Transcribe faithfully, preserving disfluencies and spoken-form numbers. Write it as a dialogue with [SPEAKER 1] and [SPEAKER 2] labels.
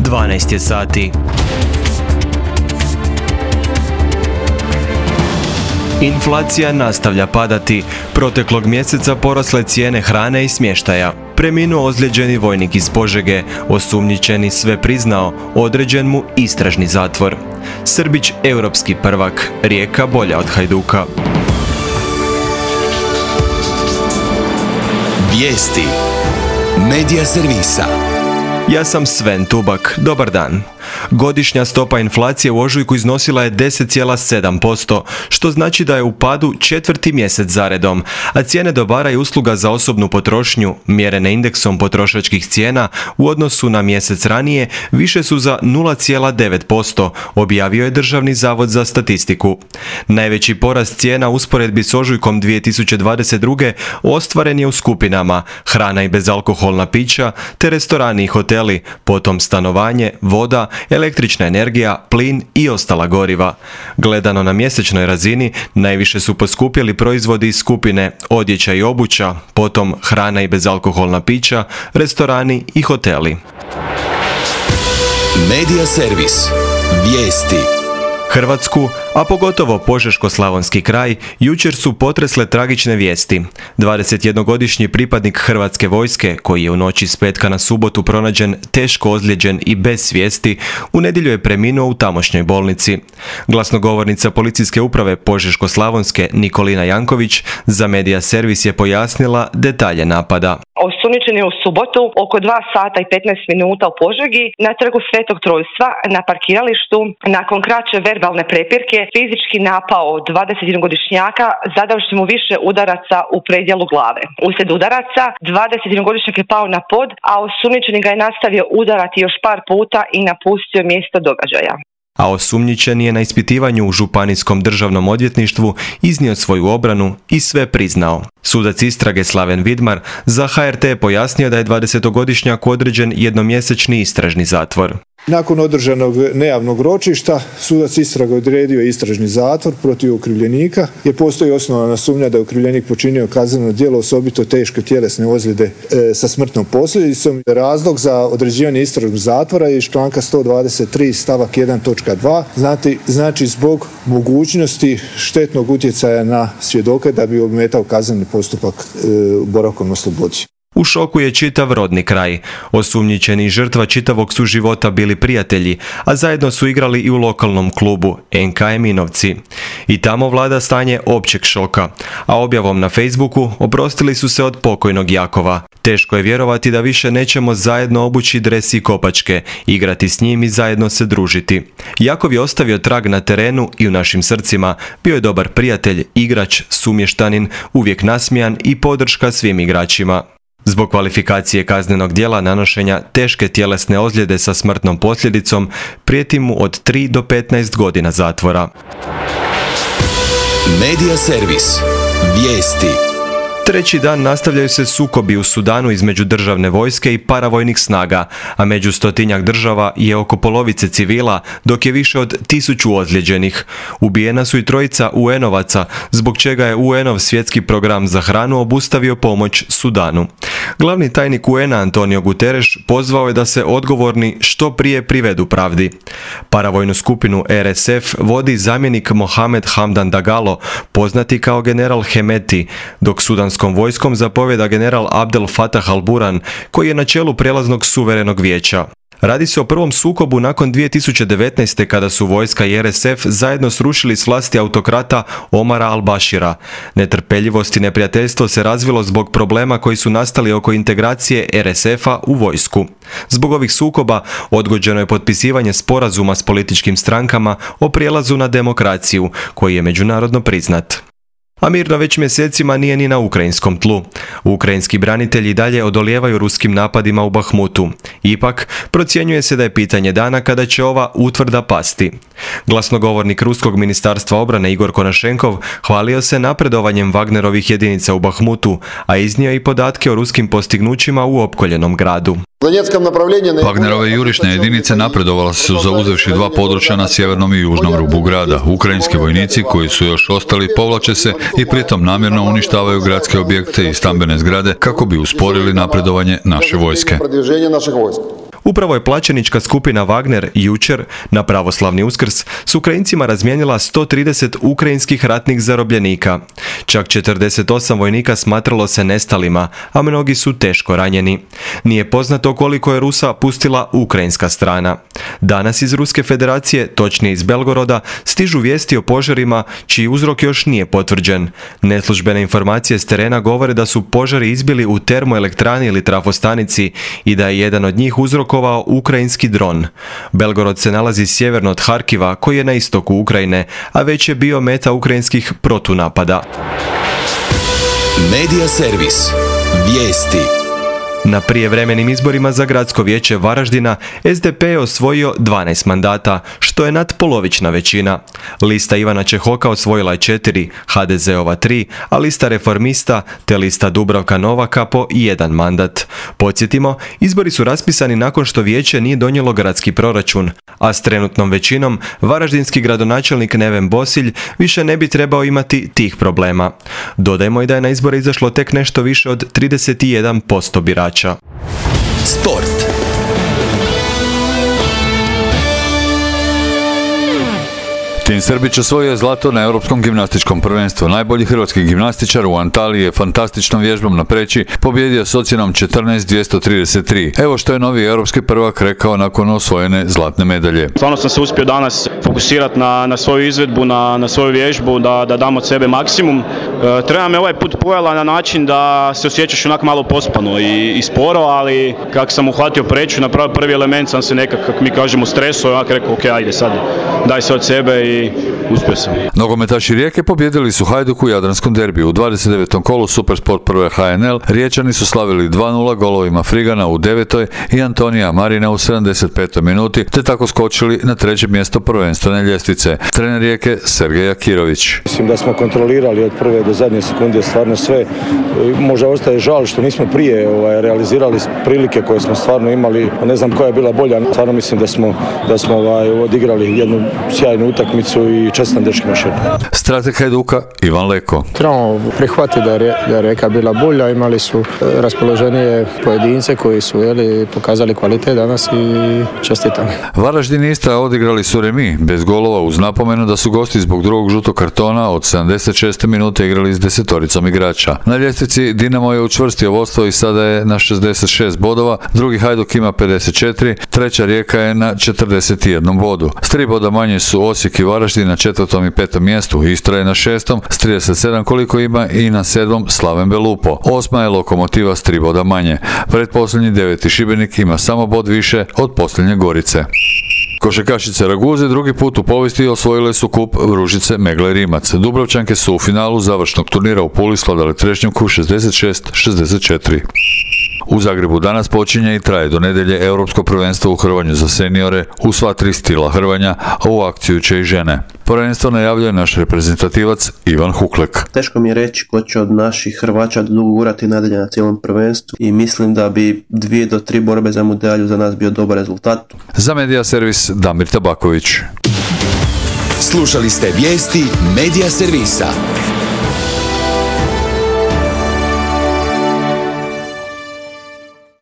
[SPEAKER 1] dvanaest je sati. Inflacija nastavlja padati. Proteklog mjeseca porasle cijene hrane i smještaja. Preminuo ozlijeđeni vojnik iz Požege, osumnjičeni sve priznao, određen mu istražni zatvor. Srbić europski prvak, Rijeka bolja od Hajduka.
[SPEAKER 2] Vijesti Medija servisa.
[SPEAKER 1] Ja sam Sven Tubak, dobar dan. Godišnja stopa inflacije u ožujku iznosila je deset zarez sedam posto, što znači da je u padu četvrti mjesec zaredom, a cijene dobara i usluga za osobnu potrošnju, mjerene indeksom potrošačkih cijena, u odnosu na mjesec ranije, više su za nula zarez devet posto, objavio je Državni zavod za statistiku. Najveći porast cijena u usporedbi s ožujkom dvije tisuće dvadeset druge ostvaren je u skupinama hrana i bezalkoholna pića, te restorani i hoteli, potom stanovanje, voda, električna energija, plin i ostala goriva. Gledano na mjesečnoj razini, najviše su poskupjeli proizvodi iz skupine odjeća i obuća, potom hrana i bezalkoholna pića, restorani i hoteli.
[SPEAKER 2] Medija servis. Vijesti.
[SPEAKER 1] Hrvatsku, a pogotovo Požeško-slavonski kraj, jučer su potresle tragične vijesti. dvadesetjednogodišnji pripadnik Hrvatske vojske, koji je u noći s petka na subotu pronađen teško ozlijeđen i bez svijesti, u nedjelju je preminuo u tamošnjoj bolnici. Glasnogovornica policijske uprave Požeško-slavonske Nikolina Janković za Medija servis je pojasnila detalje napada.
[SPEAKER 3] Osumnjičen je u subotu oko dva sata i petnaest minuta u Požegi na trgu Svetog Trojstva na parkiralištu. Nakon kraće verbalne prepirke fizički napao dvadesetjednogodišnjaka zadavši mu više udaraca u predjelu glave. Uslijed udaraca dvadesetjednogodišnjak je pao na pod, a osumnjičeni ga je nastavio udarati još par puta i napustio mjesto događaja.
[SPEAKER 1] A osumnjičen je na ispitivanju u Županijskom državnom odvjetništvu iznio svoju obranu i sve priznao. Sudac istrage Slaven Vidmar za H R T je pojasnio da je dvadesetogodišnjak određen jednomjesečni istražni zatvor.
[SPEAKER 4] Nakon održanog nejavnog ročišta, sudac istrage odredio istražni zatvor protiv okrivljenika, jer postoji osnovana sumnja da je okrivljenik počinio kazneno djelo osobito teške tjelesne ozljede e, sa smrtnom posljedicom. Razlog za određivanje istražnog zatvora je iz članka sto dvadeset tri stavak jedan točka dva, znači, znači zbog mogućnosti štetnog utjecaja na svjedoke da bi ometao kazneni postupak e, boravkom na slobodi.
[SPEAKER 1] U šoku je čitav rodni kraj. Osumnjičeni i žrtva čitavog su života bili prijatelji, a zajedno su igrali i u lokalnom klubu N K Eminovci. I tamo vlada stanje općeg šoka, a objavom na Facebooku oprostili su se od pokojnog Jakova. Teško je vjerovati da više nećemo zajedno obući dres i kopačke, igrati s njim i zajedno se družiti. Jakov je ostavio trag na terenu i u našim srcima, bio je dobar prijatelj, igrač, sumještanin, uvijek nasmijan i podrška svim igračima. Zbog kvalifikacije kaznenog djela nanošenja teške tjelesne ozljede sa smrtnom posljedicom prijeti mu od tri do petnaest godina zatvora.
[SPEAKER 2] Medija servis. Vijesti.
[SPEAKER 1] Treći dan nastavljaju se sukobi u Sudanu između državne vojske i paravojnih snaga, a među stotinjak država je oko polovice civila, dok je više od tisuću ozlijeđenih. Ubijena su i trojica U N-ovaca, zbog čega je U N-ov svjetski program za hranu obustavio pomoć Sudanu. Glavni tajnik U N-a Antonio Guterres pozvao je da se odgovorni što prije privedu pravdi. Paravojnu skupinu R S F vodi zamjenik Mohamed Hamdan Dagalo, poznati kao general Hemeti, dok sudanskom vojskom zapovjeda general Abdel Fattah al-Burhan, koji je na čelu prijelaznog suverenog vijeća. Radi se o prvom sukobu nakon dvije tisuće devetnaeste kada su vojska i R S F zajedno srušili s vlasti autokrata Omara al-Bashira. Netrpeljivost i neprijateljstvo se razvilo zbog problema koji su nastali oko integracije R S F-a u vojsku. Zbog ovih sukoba odgođeno je potpisivanje sporazuma s političkim strankama o prijelazu na demokraciju, koji je međunarodno priznat. A mirno već mjesecima nije ni na ukrajinskom tlu. Ukrajinski branitelji dalje odolijevaju ruskim napadima u Bahmutu. Ipak, procjenjuje se da je pitanje dana kada će ova utvrda pasti. Glasnogovornik Ruskog ministarstva obrane Igor Konašenkov hvalio se napredovanjem Wagnerovih jedinica u Bahmutu, a iznio i podatke o ruskim postignućima u opkoljenom gradu.
[SPEAKER 5] Wagnerove jurišne jedinice napredovale su zauzevši dva područja na sjevernom i južnom rubu grada. Ukrajinski vojnici koji su još ostali povlače se i pritom namjerno uništavaju gradske objekte i stambene zgrade kako bi usporili napredovanje naše vojske.
[SPEAKER 1] Upravo je plaćenička skupina Wagner jučer, na pravoslavni Uskrs, s Ukrajincima razmijenila sto trideset ukrajinskih ratnih zarobljenika. Čak četrdeset osam vojnika smatralo se nestalima, a mnogi su teško ranjeni. Nije poznato koliko je Rusa pustila ukrajinska strana. Danas iz Ruske federacije, točnije iz Belgoroda, stižu vijesti o požarima čiji uzrok još nije potvrđen. Neslužbene informacije s terena govore da su požari izbili u termoelektrani ili trafostanici i da je jedan od njih uzrokovao ukrajinski dron. Belgorod se nalazi sjeverno od Harkiva, koji je na istoku Ukrajine, a već je bio meta ukrajinskih protunapada.
[SPEAKER 2] Medija servis. Vijesti.
[SPEAKER 1] Na prijevremenim izborima za gradsko vijeće Varaždina es de pe je osvojio dvanaest mandata, što je nadpolovična većina. Lista Ivana Čehoka osvojila je četiri, ha de zeova tri, a lista Reformista te lista Dubravka Novaka po jedan mandat. Podsjetimo, izbori su raspisani nakon što vijeće nije donijelo gradski proračun, a s trenutnom većinom varaždinski gradonačelnik Neven Bosilj više ne bi trebao imati tih problema. Dodajmo i da je na izbore izašlo tek nešto više od trideset jedan posto birača.
[SPEAKER 2] Sport.
[SPEAKER 5] Tim Srbić osvojio je zlato na Europskom gimnastičkom prvenstvu. Najbolji hrvatski gimnastičar u Antaliji je fantastičnom vježbom na preći pobjedio s ocjenom četrnaest dvjesto trideset tri. Evo što je novi europski prvak rekao nakon osvojene zlatne medalje.
[SPEAKER 6] Stvarno sam se uspio danas fokusirati na, na svoju izvedbu, na, na svoju vježbu, da, da dam od sebe maksimum. E, treba me ovaj put pojela na način da se osjećaš onak malo pospano i, i sporo, ali kako sam uhvatio preću, napravio prvi element sam se nekak, kako mi kažemo, stresuo i onak rekao, ok, ajde sad, daj se od sebe i i uspio sam.
[SPEAKER 5] Nogometaši Rijeke pobjedili su Hajduk u Jadranskom derbiju. U dvadeset devetom kolu Supersport prve ha en el Riječani su slavili dva nula golovima Frigana u devetoj i Antonija Marina u sedamdeset petoj minuti, te tako skočili na treće mjesto prvenstvene ljestvice. Trener Rijeke Sergej Akirović.
[SPEAKER 7] Mislim da smo kontrolirali od prve do zadnje sekunde stvarno sve. Možda ostaje žal što nismo prije ovaj, realizirali prilike koje smo stvarno imali. Ne znam koja je bila bolja. Stvarno mislim da smo, da smo ovaj, odigrali jednu sjajnu utakmicu i čestam dečkima še.
[SPEAKER 5] Strateg Hajduka Ivan Leko.
[SPEAKER 8] Trebamo prihvatiti da je, da je Rijeka bila bolja, imali su raspoloženije pojedince koji su jeli, pokazali kvalitet danas i čestitam.
[SPEAKER 5] Varaždin i Istra odigrali su remi, bez golova, uz napomenu da su gosti zbog drugog žutog kartona od sedamdeset šeste minute igrali s desetoricom igrača. Na ljestvici Dinamo je učvrstio vodstvo i sada je na šezdeset šest bodova, drugi Hajduk ima pedeset četiri, treća Rijeka je na četrdeset jedan bodu. S tri boda manje su Osijek i Varaždin na četvrtom i petom mjestu, Istra je na šestom s trideset sedam koliko ima i na sedmom Slaven Belupo. Osma je Lokomotiva s tri boda manje. Pretposljednji deveti Šibenik ima samo bod više od posljednje Gorice. Košarkašice Raguze drugi put u povijesti osvojile su kup Vružice Megle Rimac. Dubrovčanke su u finalu završnog turnira u Puli svladale Trešnjevku šezdeset šest šezdeset četiri. U Zagrebu danas počinje i traje do nedjelje Europsko prvenstvo u hrvanju za seniore u sva tri stila hrvanja, a u akciju će i žene. Prvenstvo najavljuje naš reprezentativac Ivan Huklek.
[SPEAKER 9] Teško mi je reći ko će od naših Hrvača dogurati nadalje na cijelom prvenstvu i mislim da bi dvije do tri borbe za medalju za nas bio dobar rezultat.
[SPEAKER 5] Za Medija servis Damir Tabaković.
[SPEAKER 2] Slušali ste vijesti Medija servisa.